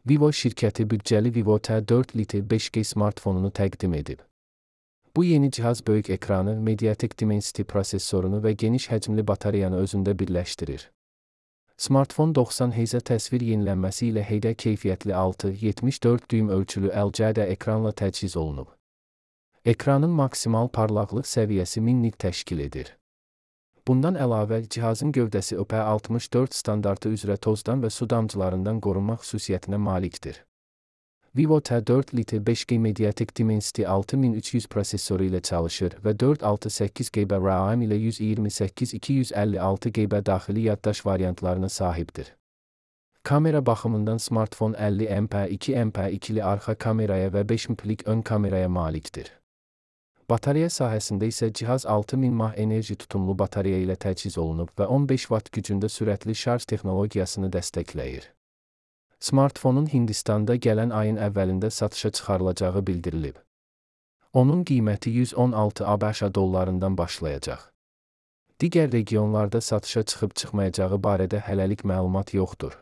Vivo şirkəti büdcəli Vivo T4 Lite 5G smartfonunu təqdim edib. Bu yeni cihaz böyük ekranı, Mediatek Dimensity prosesorunu və geniş həcmli batareyanı özündə birləşdirir. Smartfon 90 Hz təsvir yenilənməsi ilə HD keyfiyyətli 6.74 düym ölçülü LCD ekranla təchiz olunub. Ekranın maksimal parlaqlıq səviyyəsi 1000 nit təşkil edir. Bundan əlavə, cihazın gövdəsi IP64 standartı üzrə tozdan və su damcılarından qorunmaq xüsusiyyətinə malikdir. Vivo T4 Lite 5G Mediatek Dimensity 6300 prosesoru ilə çalışır və 468 GB RAM ilə 128-256 GB daxili yaddaş variantlarına sahibdir. Kamera baxımından smartfon 50 MP2 MP2-li arxa kameraya və 5 MP-lik ön kameraya malikdir. Batareya sahəsində isə cihaz 6000 mAh enerji tutumlu batareya ilə təchiz olunub və 15 Watt gücündə sürətli şarj texnologiyasını dəstəkləyir. Smartfonun Hindistanda gələn ayın əvvəlində satışa çıxarılacağı bildirilib. Onun qiyməti 116 ABŞ dollarından başlayacaq. Digər regionlarda satışa çıxıb-çıxmayacağı barədə hələlik məlumat yoxdur.